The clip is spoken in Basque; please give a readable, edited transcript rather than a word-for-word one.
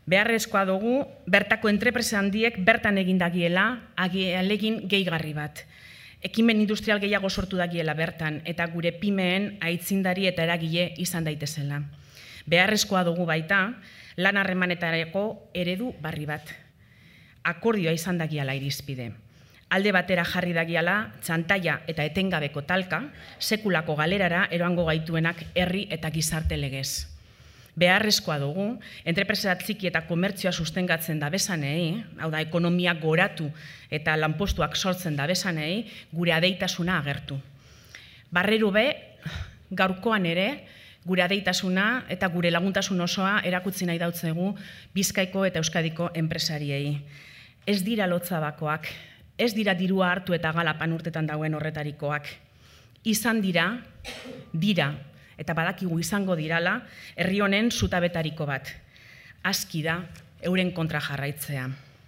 Beharrezkoa dugu, bertako entrepresa handiek bertan egin dagiela, alegin gehigarri bat. Ekimen industrial gehiago sortu dagiela bertan, eta gure pimeen aitzindari eta eragile izan daitezela. Beharrezkoa dugu baita, lan harremanetarako eredu barri bat. Akordioa izan dagiala irizpide. Alde batera jarri dagiala, txantaia eta etengabeko talka, sekulako galerara eroango gaituenak herri eta gizarte legez. Beharrezkoa dugu, entrepresa txiki eta komertzioa sustengatzen dabesanei, hau da, ekonomia goratu eta lanpostuak sortzen dabesanei, gure adeitasuna agertu. Barreru be, gaurkoan ere, gure adeitasuna eta gure laguntasun osoa erakutsi nahi dautzegu Bizkaiko eta Euskadiko enpresariei. Ez dira lotzabakoak, ez dira dirua hartu eta galapan urtetan dagoen horretarikoak. Izan dira, eta badakigu izango dirala, herri honen zutabetariko bat. Aski da, euren kontra jarraitzea.